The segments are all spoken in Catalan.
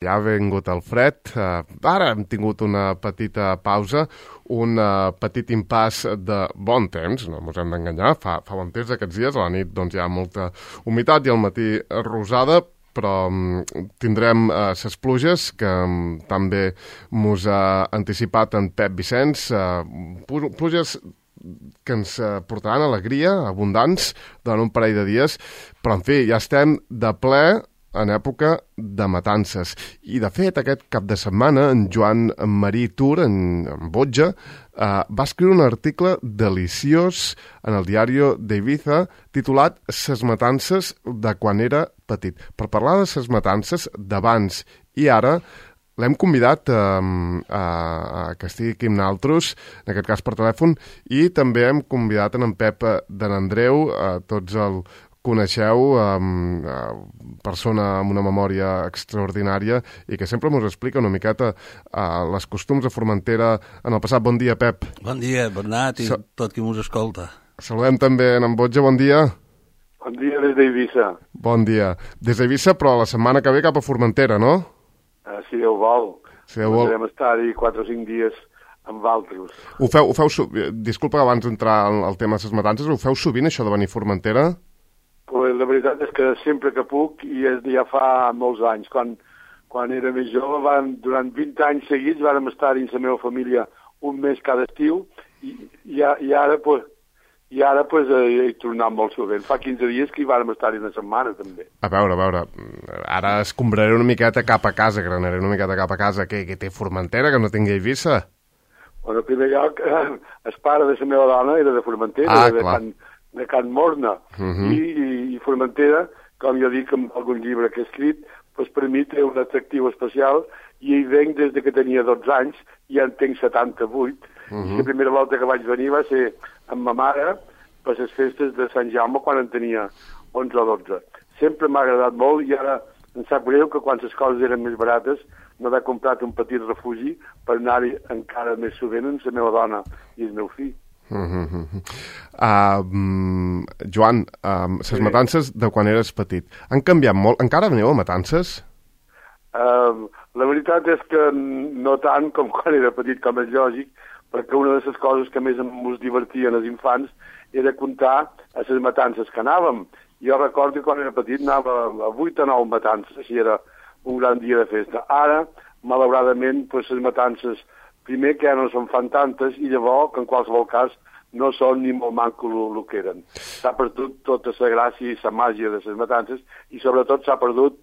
Ja ha vingut el fred, ara hem tingut una petita pausa, un petit impàs de bon temps, no ens hem d'enganyar, fa bon temps aquests dies, a la nit doncs, hi ha molta humitat i al matí rosada, però tindrem ses pluges que també mos ha anticipat en Pep Vicenç, pluges que ens portaran alegria, abundants, durant un parell de dies, però en fi, ja estem de ple en època de matances. I, de fet, aquest cap de setmana, en Joan Marí Tur, en Botja, va escriure un article deliciós en el diari d'Ibiza titulat «Ses matances de quan era petit». Per parlar de ses matances d'abans i ara, l'hem convidat que estigui aquí amb nosaltres, en aquest cas per telèfon, i també hem convidat en Pep de n'Andreu, tots el coneixeu, persona amb una memòria extraordinària i que sempre ens explica una miqueta les costums de Formentera en el passat. Bon dia, Pep. Bon dia, Bernat, i tot qui ens escolta. Saludem també en Botja, bon dia. Bon dia des d'Eivissa. Bon dia. Des d'Eivissa, però la setmana que ve cap a Formentera, no? Si Déu vol. Si Déu vol. Podrem estar-hi 4 o 5 dies amb altres. Ho feu, disculpa, abans d'entrar al tema de les matances, ho feu sovint, això de venir a Formentera? Pues la veritat és que sempre que puc, i ja fa molts anys, quan era més jove, durant 20 anys seguits vàrem estar-hi amb la meva família un mes cada estiu, i ara hi tornem molt sovint. Fa 15 dies que hi vàrem estar-hi una setmana, també. A veure, ara escombraré una miqueta cap a casa, granaré una miqueta cap a casa. Què té Formentera, que no tingui Eivissa? Bueno, en primer lloc, el pare de la meva dona era de Formentera, de Can Morna, i Formentera, com jo dic en algun llibre que he escrit, doncs per mi té un atractiu especial, i hi venc des que tenia 12 anys, i ja en tenc 78, i la primera volta que vaig venir va ser amb ma mare per les festes de Sant Jaume quan en tenia 11 o 12. Sempre m'ha agradat molt, i ara em sap greu que quan les coses eren més barates no m'he comprat un petit refugi per anar-hi encara més sovint amb la meva dona i el meu fill. Joan, les matances de quan eres petit han canviat molt? Encara aneu a matances? La veritat és que no tant com quan era petit, com és lògic, perquè una de les coses que més ens divertien els infants era comptar a les matances que anàvem. Jo recordo que quan era petit anava a 8 o 9 matances, així era un gran dia de festa. Ara, malauradament, les matances primer que ja no se'n fan tantes, i llavors, que en qualsevol cas, no són ni molt manco el que eren. S'ha perdut tota la gràcia i la màgia de les matances, i sobretot s'ha perdut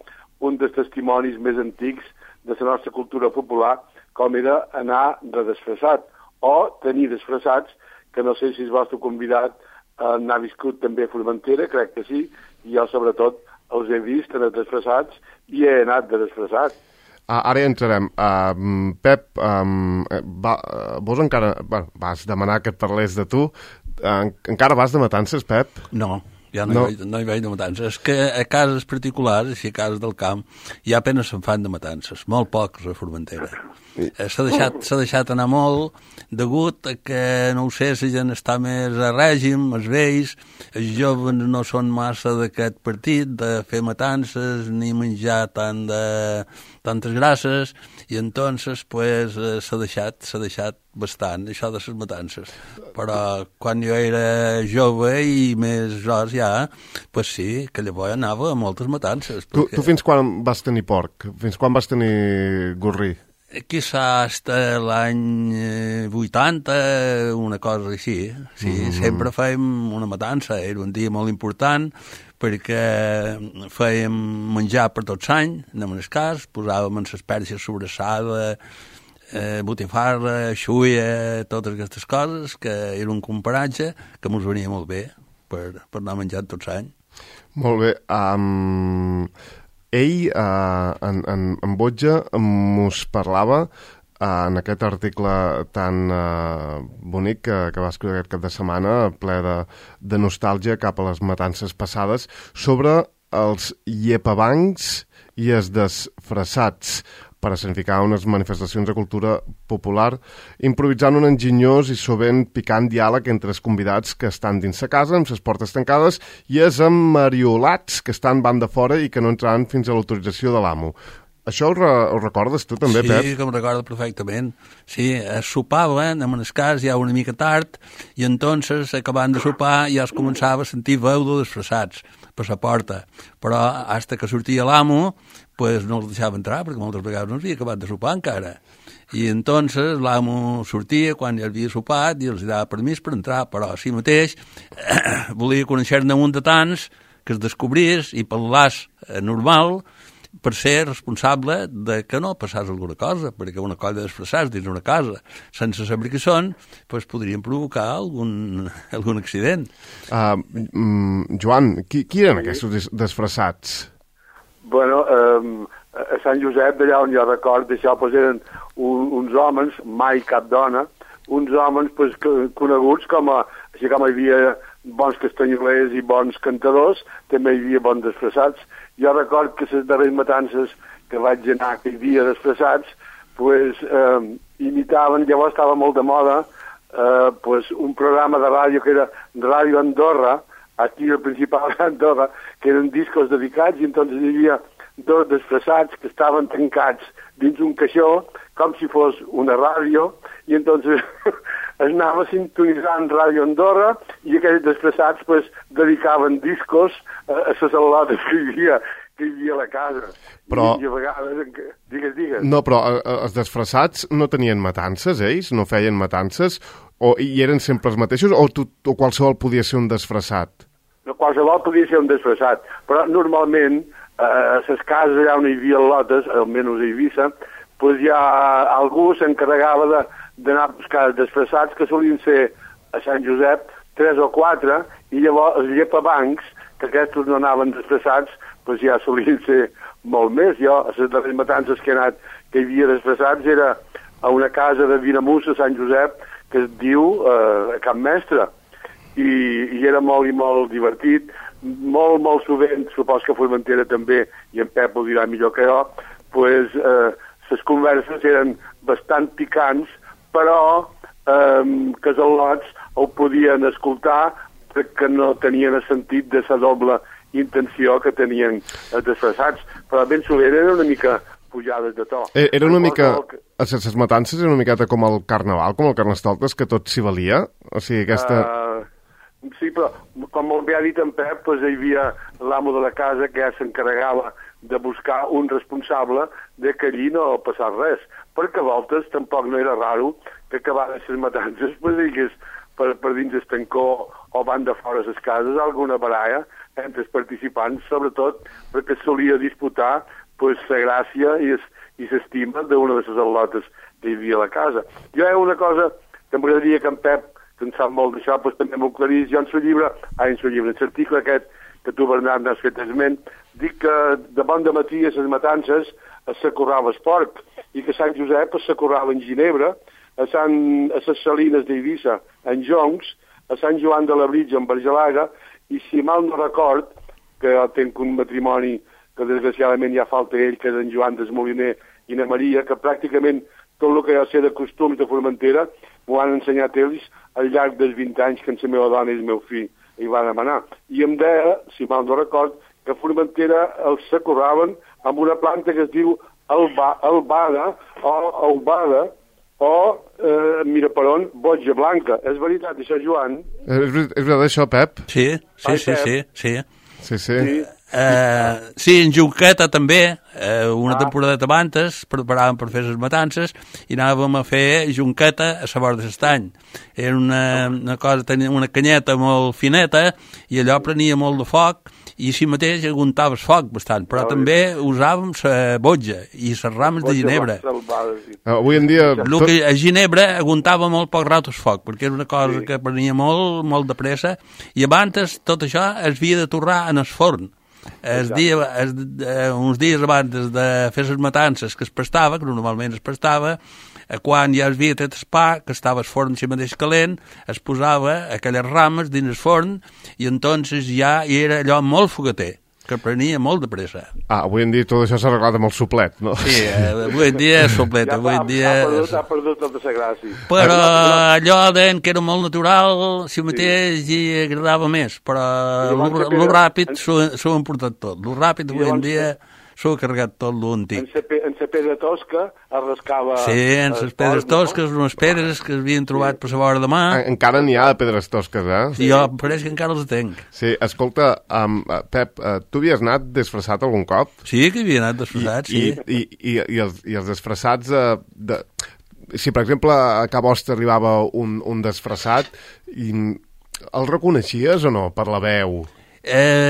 un dels testimonis més antics de la nostra cultura popular, com era anar de disfressat, o tenir disfressats, que no sé si el vostre convidat n'ha viscut també a Formentera, crec que sí, i jo sobretot els he vist en els disfressats i he anat de disfressat. Ara hi entrarem. Pep, vos encara... vas demanar que et parlés de tu. Encara vas de matances, Pep? No, ja no hi vaig de matances. És que a cases particulars, així a cases del camp, ja apenas se'n fan de matances. Molt pocs a Formentera. S'ha deixat anar molt, degut a que, no ho sé, la gent està més a règim, els vells, els joves no són massa d'aquest partit, de fer matances, ni menjar tantes grasses, i entonces pues, s'ha deixat bastant, això de les matances. Però quan jo era jove i més gros ja, pues sí, que llavors anava a moltes matances. Perquè... Tu fins quan vas tenir porc? Fins quan vas tenir gorrí? Quizá hasta l'any 80, una cosa així. Sí, sempre fèiem una matança, era un dia molt important, perquè fèiem menjar per tots anys, anem en el cas, posàvem en les pèrcies sobrassada, botifarra, xuia, totes aquestes coses, que era un comparatge que ens venia molt bé per anar menjant tots anys. Molt bé. Ell, en Botja, mos parlava en aquest article tan bonic que va escriure aquest cap de setmana, ple de nostàlgia cap a les matances passades, sobre els llepabancs i els desfressats, per escenificar unes manifestacions de cultura popular, improvisant un enginyós i sovint picant diàleg entre els convidats que estan dins la casa, amb les portes tancades, i els emmariolats que estan van de fora i que no entraran fins a l'autorització de l'amo. Això ho recordes tu també, sí, Pep? Sí, que em recordo perfectament. Sí, es sopaven, en el cas ja una mica tard, i entonces, acabant de sopar, ja es començava a sentir veu de desfressats per la porta. Però, hasta que sortia l'amo, pues no els deixava entrar, perquè moltes vegades no havia acabat de sopar encara. I entonces l'amo sortia quan ja havia sopat i els dava permís per entrar, però així mateix volia conèixer-ne un de tants que es descobrís i parlàs normal per ser responsable de que no passàs alguna cosa, perquè una colla d'expressats dins una casa, sense saber què són, pues podrien provocar algun accident. Joan, qui eren aquests disfressats? Bueno, a Sant Josep, d'allà on jo record, d'això pues, eren uns homes, mai cap dona, uns homes pues, coneguts com així com hi havia bons castanyolers i bons cantadors, també hi havia bons disfressats. Jo record que les darreres matances que vaig anar, que hi havia disfressats, pues, imitaven, llavors estava molt de moda, pues, un programa de ràdio que era Ràdio Andorra, aquí el principal d'Andorra, que eren discos dedicats, i entonces hi havia dos disfressats que estaven tancats dins un caixó, com si fos una ràdio, i entonces es anava sintonitzant Ràdio Andorra i aquells disfressats pues, dedicaven discos a les al·lotes que hi havia a la casa. Però... I a vegades... Digues. No, però els disfressats no tenien matances, ells? No feien matances? I eren sempre els mateixos? O qualsevol podia ser un disfressat? No, qualsevol podia ser un disfressat, però normalment a les cases allà on hi havia lotes, almenys a Eivissa, pues ja algú s'encarregava d'anar a buscar disfressats que solien ser a Sant Josep 3 o 4, i llavors els llepabancs, que aquests no anaven disfressats, pues ja solien ser molt més. Jo, a les darreres matances que he anat, que hi havia disfressats, era a una casa de Viramús, a Sant Josep, que es diu Can Mestre, i era molt i molt divertit, molt sovint, supos que a Formentera també, i en Pep ho dirà millor que jo, pues, les converses eren bastant picants, però que els al·lots ho podien escoltar perquè no tenien el sentit de la doble intenció que tenien els disfressats, però ben sovint eren una mica pujades de to. Era una mica... Les matances era una miqueta com el carnaval, com el Carnestoltes, que tot s'hi valia? O sigui, aquesta... Sí, però, com molt bé ha dit en Pep, doncs hi havia l'amo de la casa que ja s'encarregava de buscar un responsable de que allí no passés res, perquè a voltes tampoc no era raro que acabades les matances, pues, digues, per dins el tancó o van de fora les cases, alguna baralla entre els participants, sobretot perquè solia disputar pues, la gràcia i l'estima d'una de les al·lotes que hi havia a la casa. Jo hi ha una cosa que m'agradaria que en Pep, que en sap molt d'això, pues, també m'ho aclarís. Jo en l'article aquest que tu, Bernat, n'has fet esment, dic que de bon de matí a les matances s'acorrava el porc, i que a Sant Josep s'acorrava en Ginebra, a les Salines d'Eivissa en Joncs, a Sant Joan de la Britja en Bergelaga, i si mal no record, que jo tenc un matrimoni que desgraciadament ja falta ell, que és en Joan Desmoliner i na Maria, que pràcticament tot el que jo sé de costums de Formentera m'ho han ensenyat ells al llarg dels 20 anys que la meva dona i el meu fill hi van demanar. I em deia, si mal no record, que a Formentera els s'acorraven amb una planta que es diu albada o mira per on, boja blanca. És veritat això, Joan? És veritat això, Pep? Sí. Sí. Sí, en Junqueta també, una temporada abans preparàvem per fer les matances i anàvem a fer Junqueta a la vora de l'estany. Era una cosa, tenia una canyeta molt fineta i allò prenia molt de foc i si mateix aguantaves foc bastant, però també usàvem la botja i les rames de ginebra. Avui en dia... A ginebra aguantava molt poc rato el foc, perquè era una cosa que prenia molt de pressa i abans tot això es havia de torrar en el forn. Uns dies abans de fer les matances que es prestava, que normalment es prestava, quan ja es havia tret el pa, que estava el forn si mateix calent, es posava aquelles rames dins el forn i entonces ja era allò molt fogater, que prenia molt de pressa. Avui en dia tot això s'ha arreglat amb el suplet, no? Sí, avui en dia és suplet, avui en dia... Ha perdut tota la gràcia. Però allò deien que era molt natural, si mateix hi agradava més, però lo ràpid s'ho han portat tot. Lo ràpid avui en dia s'ho ha carregat tot l'antic. En la pedra tosca es rascava... Sí, en les pedres tosques, unes pedres que havien trobat per la vora de mà. Encara n'hi ha de pedres tosques, eh? Sí. Jo pareix que encara les tenc. Sí, escolta, Pep, tu havies anat disfressat algun cop? Sí, que havia anat disfressat, sí. I els disfressats... Si, per exemple, a Ca Vostra arribava un disfressat, el reconeixies o no, per la veu?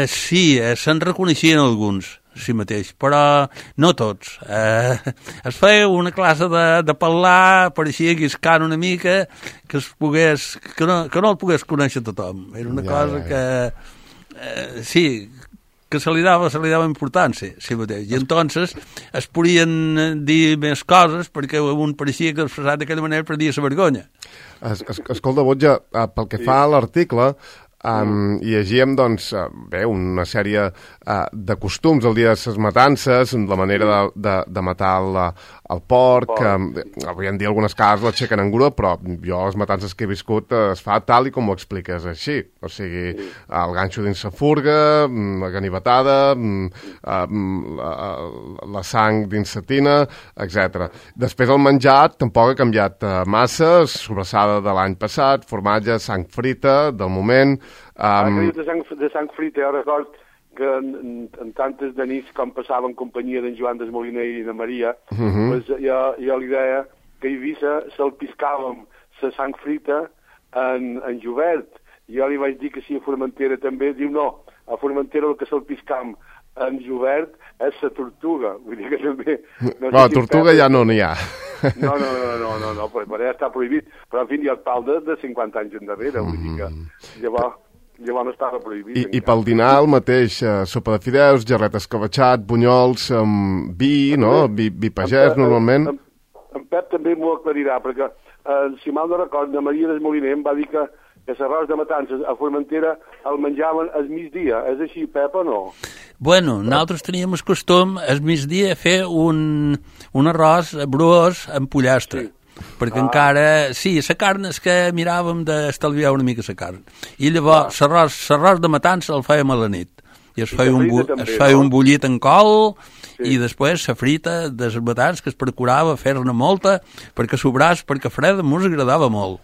Sí, se'n reconeixien alguns, sí mateix, però no tots. Es feia una classe de parlar, pareixia guiscant una mica, que no el pogués conèixer tothom. Era una cosa que... sí, que se li dava importància, sí mateix. I entonces es podien dir més coses perquè un pareixia que expressat d'aquella manera perdia la vergonya. Escolta, Botja, pel que fa a l'article, llegíem, doncs, bé, una sèrie de costums el dia de les matances, la manera de matar el porc, avui en dia algunes cases l'aixequen en grua, però jo les matances que he viscut es fa tal i com ho expliques així, o sigui, el ganxo dins la furga, la ganivetada, la sang dins la tina, etc. Després el menjar tampoc ha canviat massa, sobrassada de l'any passat, formatge, sang frita del moment... de sang frita, jo record que en tantes de nits com passava en companyia d'en Joan Desmoliner i de Maria, pues jo li deia que a Eivissa salpiscàvem la sang frita en Jovert. Jo li vaig dir que si a Formentera també, diu no, a Formentera el que salpiscam en Jovert és la tortuga. Vull dir que també... La tortuga ja no n'hi ha. No, per allà està prohibit. Però, en fi, hi ha el pal de 50 anys endarrere. Vull dir que llavors no estava prohibit. I pel dinar el mateix, sopa de fideus, gerret escabetxat, bunyols, vi, no? Vi pagès, normalment. En Pep també m'ho aclarirà, perquè, si mal no record, de Maria Desmoliner em va dir que l'arròs de matances a Formentera el menjaven al migdia. És així, Pep, o no? Bueno, nosaltres teníem el costum al migdia fer un arròs bruós amb pollastre. Sí. Perquè encara... Sí, la carn és que miràvem d'estalviar una mica la carn. I llavors l'arròs de matança el fèiem a la nit. I es feia un bullit en col, i després la frita de les matances que es procurava fer-ne molta perquè sobràs, perquè freda mos agradava molt.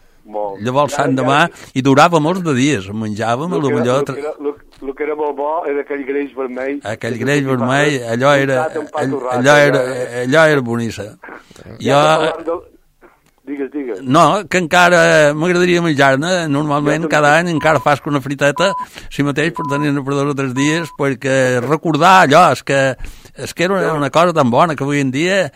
Llavors l'endemà i durava molts de dies, menjàvem el que era molt bo era aquell greix vermell. Aquell greix vermell, allò era boníssim. Digues. No, que encara m'agradaria menjar-ne. Normalment cada any encara fas una friteta, si mateix, per tenir-ne per 2 o 3 dies, perquè recordar allò, és que era una cosa tan bona que avui en dia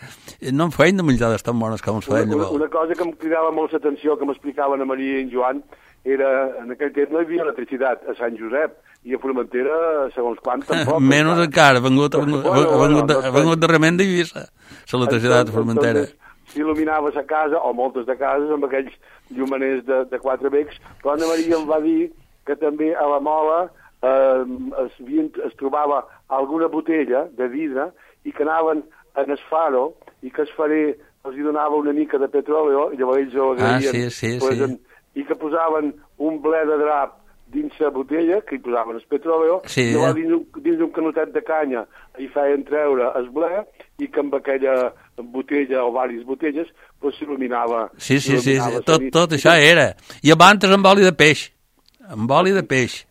no em feien de menjades tan bones com es feien llavors. Una cosa que em cridava molt l'atenció, que m'explicaven a Maria i en Joan, era, en aquell temps no hi havia electricitat a Sant Josep, i a Formentera, segons quant, tampoc. Menys encara, vengut darrerament d'Eivissa, l'electricitat a Formentera. S'il·luminava la casa, o moltes de cases, amb aquells llumaners de 4 becs, però Anna Maria em va dir que també a la Mola es trobava alguna botella de vidre i que anaven en el faro i que el farer els hi donava una mica de petróleo i llavors ells ho agraïen. Sí. I que posaven un ble de drap dins la botella, que hi posaven el petróleo, i llavors dins d'un canotet de canya hi feien treure el ble i que amb aquella botella o diverses botelles s'il·luminava. Sí, tot això era. I abans amb oli de peix. Amb oli de peix.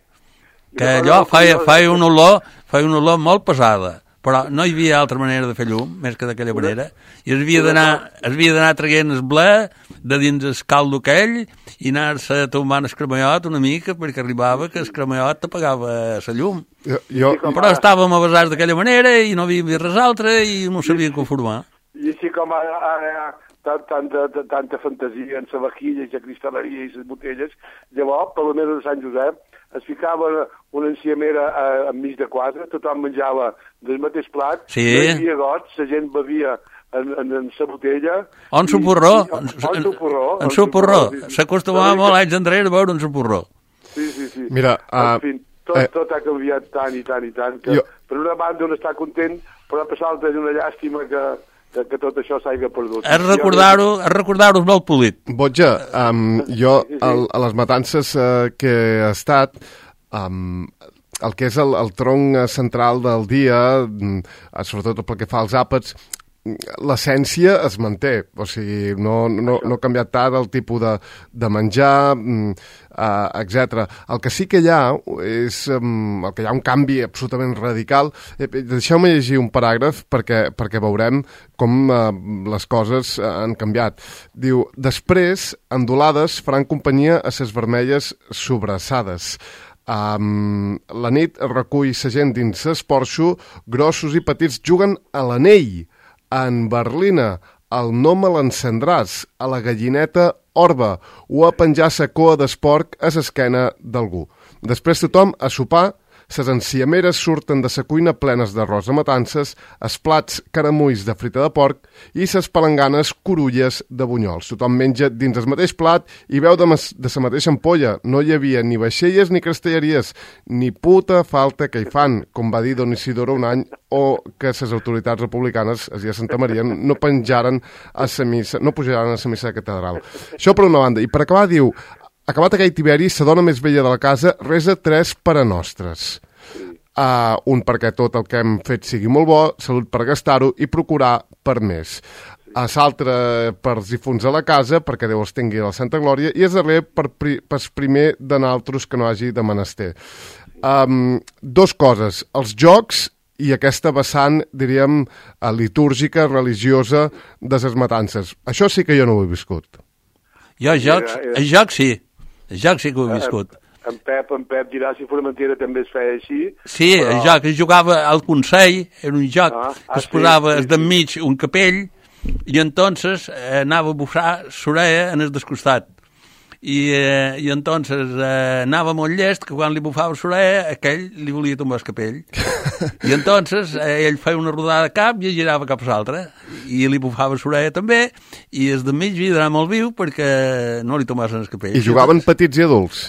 Que allò feia una olor molt pesada. Però no hi havia altra manera de fer llum, més que d'aquella manera. I es havia d'anar traient el ble de dins el caldo aquell i anar-se tombant el cremallot una mica perquè arribava que el cremallot t'apagava la llum. Però estàvem avasats d'aquella manera i no havia res altre i no sabíem conformar. I així com ara tanta fantasia en la vaquilla i la cristal·leria i les botelles, llavors, per la mesa de Sant Josep, es ficava una enciamera enmig de 4, tothom menjava del mateix plat, no hi havia gots, la gent bevia en la botella... O en soporró. En soporró. S'acostumava molt anys enrere a veure un soporró. Sí. Mira, en fi, tot ha canviat tant i tant, que per una banda un està content, però per l'altra és una llàstima que tot això s'hagi perdut. És recordar-ho molt polit. Botja, jo a les matances que he estat, el que és el tronc central del dia, sobretot pel que fa als àpats, l'essència es manté, o sigui, no ha canviat tant el tipus de menjar, etc. El que sí que hi ha és el que hi ha un canvi absolutament radical. Deixeu-me llegir un paràgraf perquè veurem com les coses han canviat. Diu, després, endolades faran companyia a ses vermelles sobrassades. La nit recull sa gent dins esporxo, grossos i petits juguen a l'anell. En Berlina, el no me l'encendràs, a la gallineta orba o a penjar sa coa d'esporc a l'esquena d'algú. Després tothom a sopar, ses enciameres surten de sa cuina plenes d'arròs a matances, es plats caramulls de frita de porc i ses palanganes corulles de bunyols. Tothom menja dins el mateix plat i beu de sa mateixa ampolla. No hi havia ni vaixelles ni castelleries, ni puta falta que hi fan, com va dir Don Isidoro un any, o que ses autoritats republicanes, a Santa Maria, no penjaren a sa missa, no pujaran a sa missa de catedral. Això per una banda. I per acabar diu, acabat aquell tiberi, sa dona més vella de la casa resa 3 parenostres. Un perquè tot el que hem fet sigui molt bo, salut per gastar-ho i procurar per més. L'altre pels difunts a la casa, perquè Déu els tingui a la Santa Glòria, i és darrer pels primer de naltros que no hagi de menester. Dos coses, els jocs i aquesta vessant, diríem, litúrgica, religiosa de les matances. Això sí que jo no ho he viscut. Jo, jocs sí. El joc sí que ho he viscut. En Pep dirà si Formentera també es feia així. Sí, però... el joc, es jugava al Consell, era un joc que es posava d'enmig un capell i entonces anava a bufar l'orella en el descostat. I entonces anava molt llest que quan li bufava l'orella aquell li volia tombar el capell. I entonces ell feia una rodada de cap i girava cap a l'altre i li bufava l'orella també i el d'enmig havia d'anar molt viu perquè no li tomaven el capell. I jugaven petits i adults?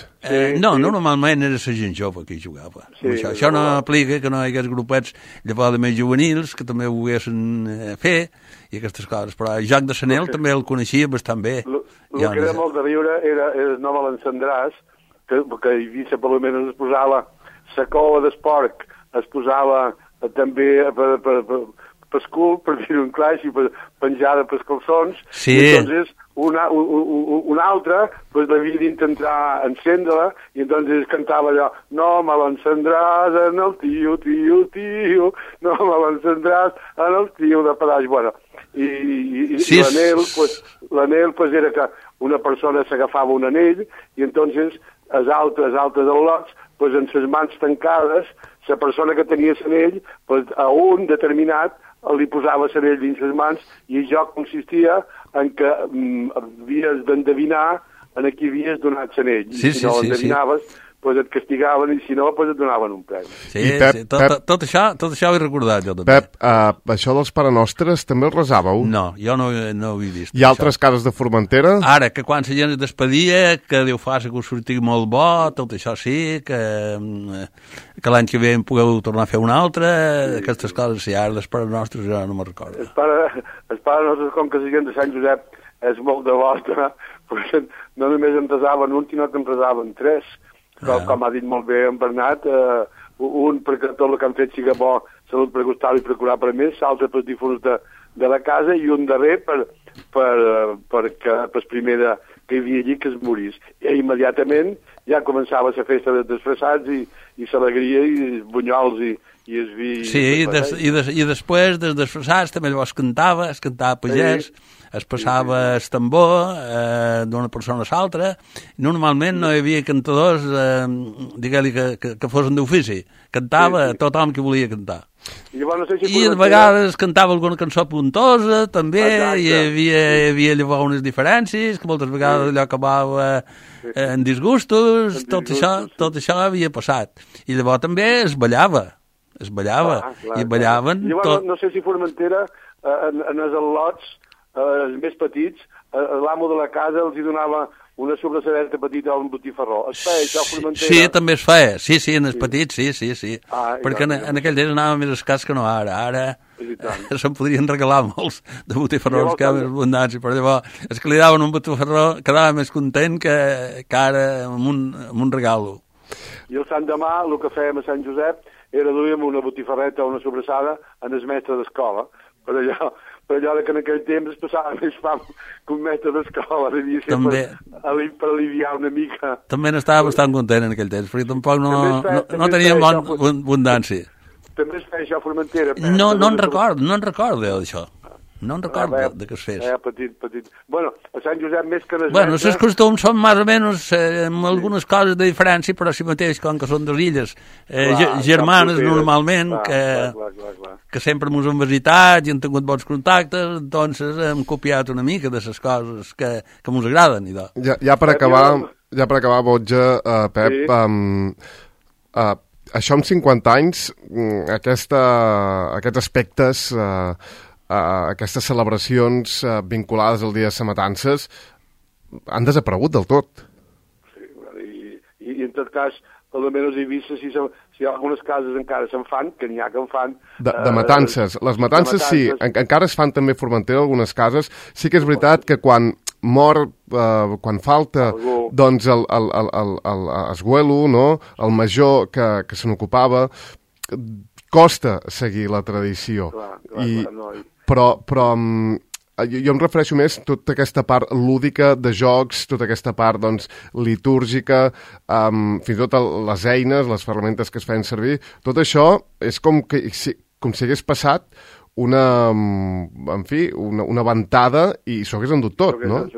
No, normalment era la gent jove que hi jugava. Això no aplica que no hi hagués grupets llavors de més juvenils que també ho volguessin fer i aquestes coses, però el joc de Sanel també el coneixia bastant bé. El que era molt de riure era no me l'encendràs, que hi havia, per almenys es posava la cola d'esporc, es posava també per cul, per dir-ho en clar, i penjada pels calçons, sí. I entonces un altre pues, l'havia d'intentar encendre-la i entonces cantava allò no me l'encendràs en el tio, no me l'encendràs en el tio de pedaç. Bueno, i sí, l'anell pues, era que una persona s'agafava un anell i entonces els altres al·lots pues, en ses mans tancades la persona que tenia l'anell pues, a un determinat li posava l'anell dins les mans i el joc consistia en que havies d'endevinar en a qui havies donat l'anell. Sí, si no l'endevinaves, pues et castigaven i si no, pues et donaven un premi. Sí, Pep, tot això ho he recordat jo també. Pep, això dels parenostres també el resàveu? No, jo no ho he vist. Hi ha altres cares de Formentera? Ara, que quan la gent es despedia, que Déu faci que us sortigui molt bo, tot això sí, que l'any que ve en pugueu tornar a fer una altra, aquestes coses, sí, ara dels parenostres jo no me'n recordo. Els parenostres, com que la gent de Sant Josep és molt devota, pues, no només en resaven un, sinó que en resaven 3. Com ha dit molt bé en Bernat, un perquè tot el que han fet siga bo, salut per gustar-ho i procurar per més, l'altre pels difunts de la casa i un darrer perquè el primer que hi havia allí que es morís. I immediatament ja començava la festa de disfressats i l'alegria i els bunyols i el vi... Sí, i després dels disfressats també llavors es cantava pagès, es passava el tambor d'una persona a l'altra. Normalment no hi havia cantadors, digue-li que fossin d'ofici. Cantava tothom que volia cantar. I a vegades cantava alguna cançó puntosa, també, i hi havia llavors unes diferències, que moltes vegades allò acabava en disgustos, tot això havia passat. I llavors també es ballava, i ballaven... Llavors, no sé si Formentera, en els al·lots, els més petits, l'amo de la casa els hi donava una sobresadeta petita o un botifarró. Es feia això a Formentera? Sí, també es feia. Sí, en els petits, sí. Perquè en aquell temps anava més escàs que no ara. Ara se'n podrien regalar molts de botifarrons que hi ha més abundància, però llavors els que li daven un botifarró quedava més content que ara amb un regalo. I el Sant demà, el que fèiem a Sant Josep era duíem una botifarreta o una sobrassada en el mestre d'escola, per allò que en aquell temps es passava més fam que un mestre d'escola, devia ser per aliviar una mica. També n'estava bastant content en aquell temps, perquè tampoc no teníem abundància. També es feia això a Formentera. No en recordo d'això. No en recordo de què es fes. Petit. Bueno, a Sant Josep més que les bueno, els costums són més o menys amb algunes coses de diferència, però si mateix, com que són dues illes germanes normalment, que sempre ens han visitat i han tingut bons contactes, doncs hem copiat una mica de les coses que ens agraden. Ja per acabar, Botja, Pep, això amb 50 anys, aquests aspectes... aquestes celebracions vinculades al dia de les matances han desaparegut del tot. Sí, i en tot cas, almenys he vist si algunes cases encara se'n fan, que n'hi ha que en fan... De matances. Les matances sí, encara es fan també a Formentera algunes cases. Sí que és veritat que quan mor, quan falta, doncs el esguelo, no? El major que se n'ocupava, costa seguir la tradició. Però jo em refereixo més a tota aquesta part lúdica de jocs, tota aquesta part doncs, litúrgica, fins i tot les eines, les ferramentes que es feien servir, tot això és com si hagués passat una ventada i s'ho hagués endut tot, no?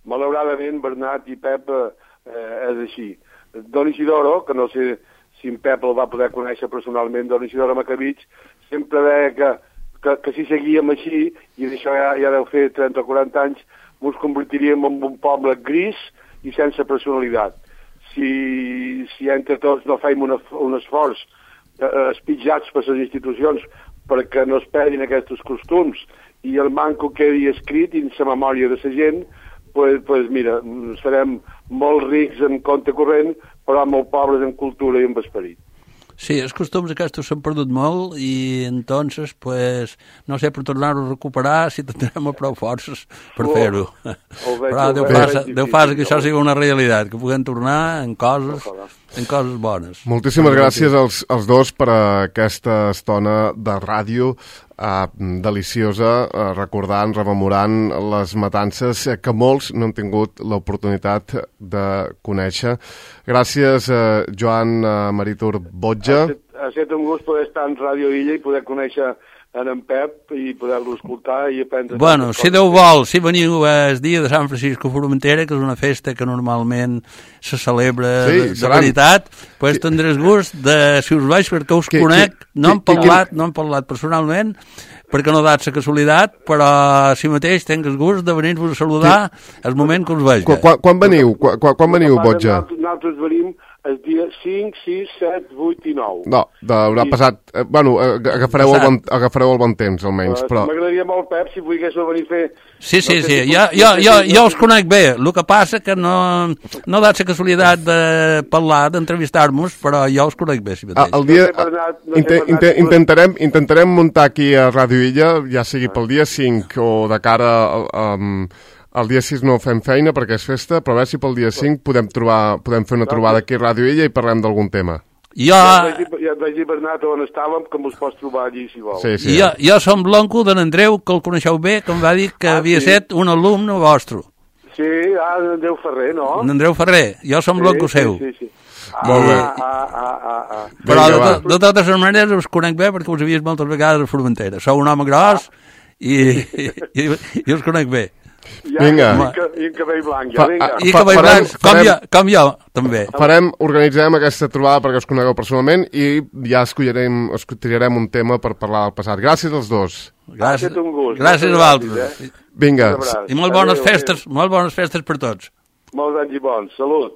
Malauradament, Bernat i Pep és així. Don Isidoro, que no sé si en Pep el va poder conèixer personalment, Don Isidoro Macavich, sempre deia que si seguíem així, i d'això ja deu fer 30 o 40 anys, ens convertiríem en un poble gris i sense personalitat. Si entre tots no fèiem un esforç espitjats per les institucions perquè no es perdin aquests costums i el manco quedi escrit en la memòria de la gent, pues mira, serem molt rics en compte corrent, però molt pobres en cultura i en esperit. Sí, els costums aquests s'han perdut molt i entonces, pues, no sé, per tornar-ho a recuperar si tindrem prou forces per fer-ho. Però Déu faci que això sigui una realitat, que puguem tornar en coses bones. Moltíssimes gràcies als dos per aquesta estona de ràdio deliciosa, recordant, rememorant les matances que molts no han tingut l'oportunitat de conèixer. Gràcies, Joan Marítur Botja. Ha estat un gust poder estar en Ràdio Illa i poder conèixer en Pep i poder-lo escoltar i aprendre... Bueno, si Déu vol, si veniu el dia de Sant Francisco Formentera, que és una festa que normalment se celebra de veritat, pues tindràs gust de, si us vaig, perquè us conec, no hem parlat personalment, perquè no dat la casualitat, però si mateix tinc el gust de venir-vos a saludar el moment que us veig. Quan veniu, Botja? Nosaltres venim el dia 5, 6, 7, 8 i 9. No, haurà passat... Bueno, agafareu el bon temps, almenys, però... M'agradaria molt, Pep, si volgués venir a fer... Sí, jo us conec bé. El que passa que no dat la casualitat de parlar, d'entrevistar-nos, però jo us conec bé, si mateix. El dia... Intentarem muntar aquí a Ràdio Illa, ja sigui pel dia 5 o de cara el dia 6 no fem feina perquè és festa, però a veure si pel dia 5 podem fer una trobada aquí a Ràdio Illa i parlem d'algun tema. Ja et vaig dir, Bernat, on estàvem, que mos pots trobar allí, si vols. Sí. Jo som l'oncle d'en Andreu, que el coneixeu bé, que em va dir que havia estat un alumne vostre. Sí, Andreu Ferrer, no? Andreu Ferrer, jo som l'oncle seu. Sí. Molt bé. Però de totes maneres us conec bé perquè us he vist moltes vegades a Formentera. Sou un home gros i us conec bé. Vinga. I cabell blanc, ja, vinga. I cabell blanc, com jo, també. Organitzarem aquesta trobada perquè us conegueu personalment i ja triarem un tema per parlar del passat. Gràcies als dos. Gràcies a vosaltres. Vinga. I molt bones festes per tots. Molts anys i bons. Salut.